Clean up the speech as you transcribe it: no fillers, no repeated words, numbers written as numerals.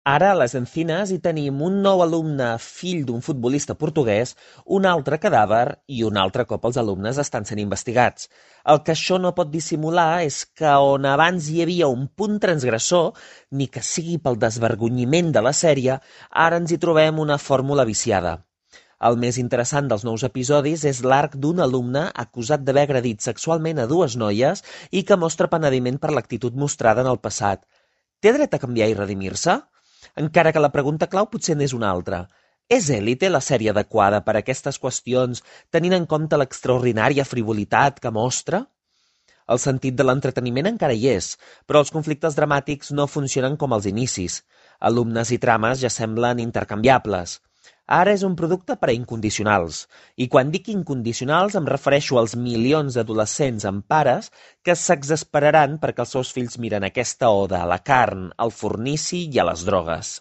Ara, a les Encinas, hi tenim un nou alumne fill d'un futbolista portuguès, un altre cadàver i un altre cop els alumnes estan sent investigats. El que això no pot dissimular és que on abans hi havia un punt transgressor, ni que sigui pel desvergonyiment de la sèrie, ara ens hi trobem una fórmula viciada. El més interessant dels nous episodis és l'arc d'un alumne acusat d'haver agredit sexualment a dues noies i que mostra penediment per l'actitud mostrada en el passat. Té dret a canviar i redimir-se? Encara que la pregunta clau potser n'és una altra. És Élite la sèrie adequada per a aquestes qüestions, tenint en compte l'extraordinària frivolitat que mostra? El sentit de l'entreteniment encara hi és, però els conflictes dramàtics no funcionen com als inicis. Alumnes i trames ja semblen intercanviables. Ara és un producte per a incondicionals, i quan dic incondicionals em refereixo als milions d'adolescents amb pares que s'exasperaran perquè els seus fills miren aquesta oda a la carn, al fornici i a les drogues.